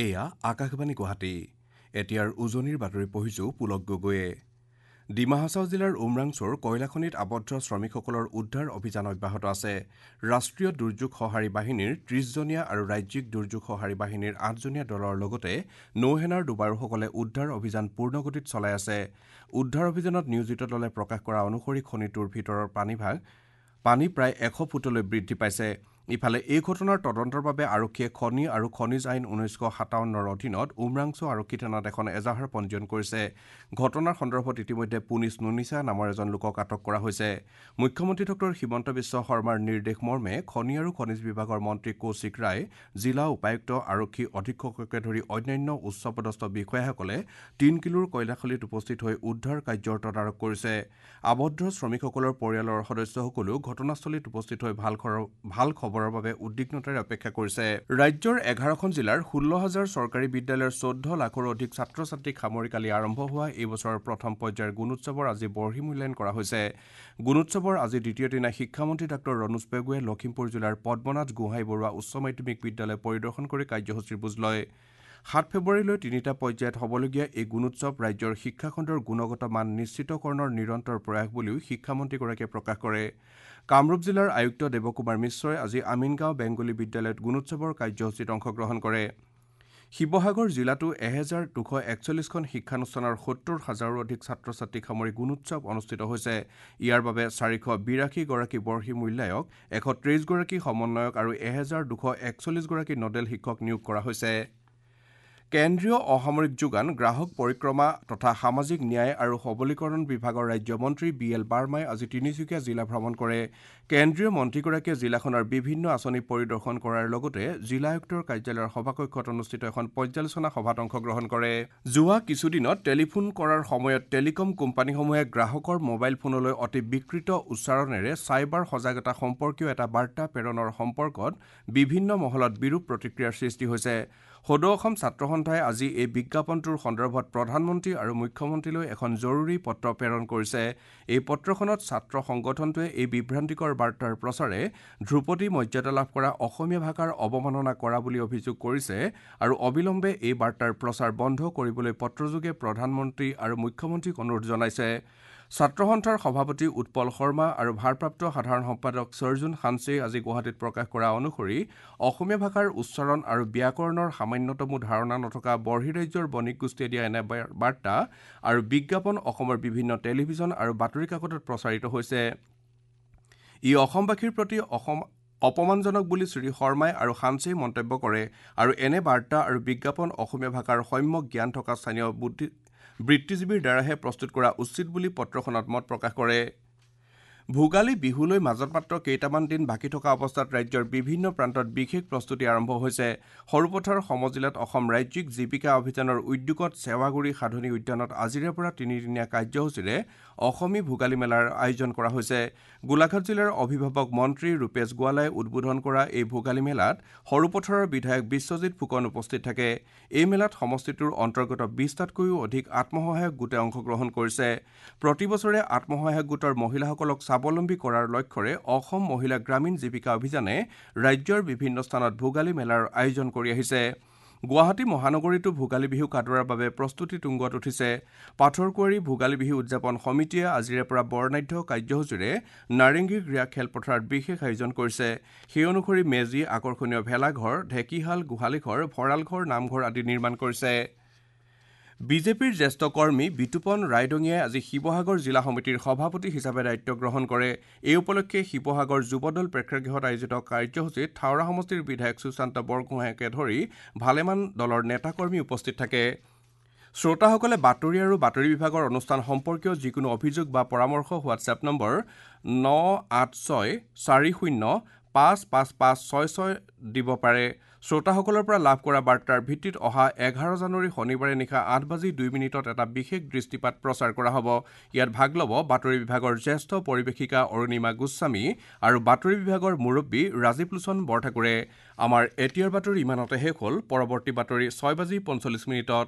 এয়া আকাশবাণী গুৱাহাটী। এতিয়াৰ উজনিৰ বাতৰি পঢ়িছো পুলক গগৈয়ে। ডিমা হাছাও জিলাৰ উমৰাংছুৰ কয়লাখনিত আবদ্ধ শ্ৰমিকসকলৰ উদ্ধাৰ অভিযান অব্যাহত আছে। ৰাষ্ট্ৰীয় দুৰ্যোগ সঁহাৰি বাহিনীৰ ৩০জনীয়া আৰু ৰাজ্যিক দুৰ্যোগ সঁহাৰি বাহিনীৰ ৮জনীয়া দলৰ লগতে নৌসেনাৰ ডুবাৰুসকলে উদ্ধাৰ অভিযান পূৰ্ণগতিত চলাই আছে। উদ্ধাৰ অভিযানত নিয়োজিত দলে প্ৰকাশ কৰা অনুসৰি খনিটোৰ ভিতৰৰ পানী প্ৰায় ১০০ ফুটলৈ বৃদ্ধি পাইছে। ইফালে এই ঘটনাৰ তদন্তৰ বাবে আৰক্ষীয়ে খনি আৰু খনিজ আইন ১৯৫৭ৰ অধীনত উমৰাংছু আৰক্ষী থানাত এখন এজাহাৰ পঞ্জীয়ন কৰিছে। ঘটনাৰ সন্দৰ্ভত ইতিমধ্যে পুনিছ নুনিছা নামৰ এজন লোকক আটক কৰা হৈছে। মুখ্যমন্ত্ৰী ডঃ হিমন্ত বিশ্ব শৰ্মাৰ নিৰ্দেশ মৰ্মে খনি আৰু খনিজ বিভাগৰ মন্ত্ৰী কৌশিক ৰায়, জিলা উপায়ুক্ত, আৰক্ষী অধীক্ষককে ধৰি অন্যান্য উচ্চপদস্থ বিষয়াসকলে ৩ কিলোৰ কয়লাখনিত উপস্থিত হৈ উদ্ধাৰ কাৰ্যৰ তদাৰক কৰিছে। আবদ্ধ শ্ৰমিকসকলৰ পৰিয়ালৰ সদস্যসকলেও ঘটনাস্থলীত উপস্থিত হৈ ভাল খবৰৰ বাবে উদ্বিগ্নতাৰে অপেক্ষা কৰিছে। ৰাজ্যৰ ১১খন জিলাৰ ১৬ হাজাৰ চৰকাৰী বিদ্যালয়ৰ ১৪ লাখৰো অধিক ছাত্ৰ ছাত্ৰীক সামৰি কালি আৰম্ভ হোৱা এই বছৰৰ প্ৰথম পৰ্যায়ৰ গুণোৎসৱৰ আজি বৰ্হি মূল্যায়ন কৰা হৈছে। গুণোৎসৱৰ আজি দ্বিতীয় দিনা শিক্ষামন্ত্ৰী ডাঃ ৰণোজ পেগুৱে লখিমপুৰ জিলাৰ পদ্মনাথ গোহাঁই বৰুৱা উচ্চ মাধ্যমিক বিদ্যালয় পৰিদৰ্শন কৰি কাৰ্যসূচীৰ বুজ লয়। ৭ ফেব্ৰুৱাৰীলৈ তিনিটা পৰ্যায়ত হ'বলগীয়া এই গুণোৎসৱ ৰাজ্যৰ শিক্ষাখণ্ডৰ গুণগত মান নিশ্চিতকৰণৰ নিৰন্তৰ প্ৰয়াস বুলিও শিক্ষামন্ত্ৰীগৰাকীয়ে প্ৰকাশ কৰে। কামৰূপ জিলাৰ আয়ুক্ত দেৱকুমাৰ মিশ্ৰই আজি আমিনগাঁও বেংগলী বিদ্যালয়ত গুণোৎসৱৰ কাৰ্যসূচীত অংশগ্ৰহণ কৰে। শিৱসাগৰ জিলাতো ১২৪১খন শিক্ষানুষ্ঠানৰ ৭০ হাজাৰৰো অধিক ছাত্ৰ ছাত্ৰীক সামৰি গুণোৎসৱ অনুষ্ঠিত হৈছে। ইয়াৰ বাবে ৪৮২গৰাকী বৰ্হি মূল্যায়ক, ১২৩গৰাকী সমন্বয়ক আৰু ১২৪১গৰাকী নডেল শিক্ষক নিয়োগ কৰা হৈছে। কেন্দ্ৰীয় অসামৰিক যোগান, গ্ৰাহক পৰিক্ৰমা তথা সামাজিক ন্যায় আৰু সবলীকৰণ বিভাগৰ ৰাজ্যমন্ত্ৰী বি এল বাৰ্মাই আজি তিনিচুকীয়া জিলা ভ্ৰমণ কৰে। কেন্দ্ৰীয় মন্ত্ৰীগৰাকীয়ে জিলাখনৰ বিভিন্ন আঁচনি পৰিদৰ্শন কৰাৰ লগতে জিলা আয়ুক্তৰ কাৰ্যালয়ৰ সভাকক্ষত অনুষ্ঠিত এখন পৰ্যালোচনা সভাত অংশগ্ৰহণ কৰে। যোৱা কিছুদিনত টেলিফোন কৰাৰ সময়ত টেলিকম কোম্পানীসমূহে গ্ৰাহকৰ মোবাইল ফোনলৈ অতি বিকৃত উচ্চাৰণেৰে চাইবাৰ সজাগতা সম্পৰ্কীয় এটা বাৰ্তা প্ৰেৰণৰ সম্পৰ্কত বিভিন্ন মহলত বিৰূপ প্ৰতিক্ৰিয়াৰ সৃষ্টি হৈছে। সদৌ অসম ছাত্ৰ সন্থাই আজি এই বিজ্ঞাপনটোৰ সন্দৰ্ভত প্ৰধানমন্ত্ৰী আৰু মুখ্যমন্ত্ৰীলৈ এখন জৰুৰী পত্ৰ প্ৰেৰণ কৰিছে। এই পত্ৰখনত ছাত্ৰ সংগঠনটোৱে এই বিভ্ৰান্তিকৰ বাৰ্তাৰ প্ৰচাৰে ধ্ৰুপদী মৰ্যাদা লাভ কৰা অসমীয়া ভাষাৰ অৱমাননা কৰা বুলি অভিযোগ কৰিছে আৰু অবিলম্বে এই বাৰ্তাৰ প্ৰচাৰ বন্ধ কৰিবলৈ পত্ৰযোগে প্ৰধানমন্ত্ৰী আৰু মুখ্যমন্ত্ৰীক অনুৰোধ জনাইছে। ছাত্ৰ সন্থাৰ সভাপতি উৎপল শৰ্মা আৰু ভাৰপ্ৰাপ্ত সাধাৰণ সম্পাদক ছৰ্জুন সানচেই আজি গুৱাহাটীত প্ৰকাশ কৰা অনুসৰি অসমীয়া ভাষাৰ উচ্চাৰণ আৰু ব্যাকৰণৰ সামান্যতমো ধাৰণা নথকা বৰ্হিৰাজ্যৰ বণিক গোষ্ঠীয়ে দিয়া এনে বাৰ্তা আৰু বিজ্ঞাপন অসমৰ বিভিন্ন টেলিভিছন আৰু বাতৰি কাকতত প্ৰচাৰিত হৈছে। ই অসমবাসীৰ প্ৰতি অপমানজনক বুলি শ্ৰী শৰ্মাই আৰু সানচেই মন্তব্য কৰে আৰু এনে বাৰ্তা আৰু বিজ্ঞাপন অসমীয়া ভাষাৰ সম্যক জ্ঞান থকা স্থানীয় বৃত্তিজীৱীৰ দ্বাৰাহে প্ৰস্তুত কৰা উচিত বুলি পত্ৰখনত মত প্ৰকাশ কৰে। ভোগালী বিহুলৈ মাজত মাত্ৰ কেইটামান দিন বাকী থকা অৱস্থাত ৰাজ্যৰ বিভিন্ন প্ৰান্তত বিশেষ প্ৰস্তুতি আৰম্ভ হৈছে। সৰুপথাৰ সমজিলাত অসম ৰাজ্যিক জীৱিকা অভিযানৰ উদ্যোগত চেৱাগুৰি সাধনী উদ্যানত আজিৰে পৰা তিনিদিনীয়া কাৰ্যসূচীৰে অসমী ভোগালী মেলাৰ আয়োজন কৰা হৈছে। গোলাঘাট জিলাৰ অভিভাৱক মন্ত্ৰী ৰূপেশ গোৱালাই উদ্বোধন কৰা এই ভোগালী মেলাত সৰুপথাৰৰ বিধায়ক বিশ্বজিৎ ফুকন উপস্থিত থাকে। এই মেলাত সমষ্টিটোৰ অন্তৰ্গত ২০টাতকৈও অধিক আত্মসহায়ক গোটে অংশগ্ৰহণ কৰিছে। প্ৰতি বছৰে আত্মসহায়ক গোটৰ মহিলাসকলক স্বাৱলম্বী কৰাৰ লক্ষ্যৰে অসম মহিলা গ্ৰামীণ জীৱিকা অভিযানে ৰাজ্যৰ বিভিন্ন স্থানত ভোগালী মেলাৰ আয়োজন কৰি আহিছে। গুৱাহাটী মহানগৰীতো ভোগালী বিহুক আদৰাৰ বাবে প্ৰস্তুতি তুংগত উঠিছে। পাথৰকুঁৱৰী ভোগালী বিহু উদযাপন সমিতিয়ে আজিৰে পৰা বৰ্ণাঢ্য কাৰ্যসূচীৰে নাৰেংগী ক্ৰীড়া খেলপথাৰত বিশেষ আয়োজন কৰিছে। সেই অনুসৰি মেজি, আকৰ্ষণীয় ভেলাঘৰ, ঢেকীশাল, গোহালিঘৰ, ভঁৰালঘৰ, নামঘৰ আদি নিৰ্মাণ কৰিছে। বিজেপিৰ জ্যেষ্ঠ কৰ্মী বিতুপন ৰায়দঙীয়াই আজি শিৱসাগৰ জিলা সমিতিৰ সভাপতি হিচাপে দায়িত্ব গ্ৰহণ কৰে। এই উপলক্ষে শিৱসাগৰ যুৱদল প্ৰেক্ষাগৃহত আয়োজিত কাৰ্যসূচীত থাওৰা সমষ্টিৰ বিধায়ক সুশান্ত বৰগোহাঁইকে ধৰি ভালেমান দলৰ নেতাকৰ্মী উপস্থিত থাকে। শ্ৰোতাসকলে বাতৰি আৰু বাতৰি বিভাগৰ অনুষ্ঠান সম্পৰ্কীয় যিকোনো অভিযোগ বা পৰামৰ্শ হোৱাটছএপ নম্বৰ ৯৮৬৪০৫৫৫৬৬ দিব পাৰে। শ্ৰোতাসকলৰ পৰা লাভ কৰা বাৰ্তাৰ ভিত্তিত অহা ১১ জানুৱাৰী শনিবাৰে নিশা ৮:০২ এটা বিশেষ দৃষ্টিপাত প্ৰচাৰ কৰা হ'ব। ইয়াত ভাগ ল'ব বাতৰি বিভাগৰ জ্যেষ্ঠ পৰিৱেশিকা অৰুণিমা গোস্বামী আৰু বাতৰি বিভাগৰ মুৰব্বী ৰাজীৱ লোচন বৰঠাকুৰে। আমাৰ এতিয়াৰ বাতৰি ইমানতে শেষ হ'ল। পৰৱৰ্তী বাতৰি ৬:৪৫।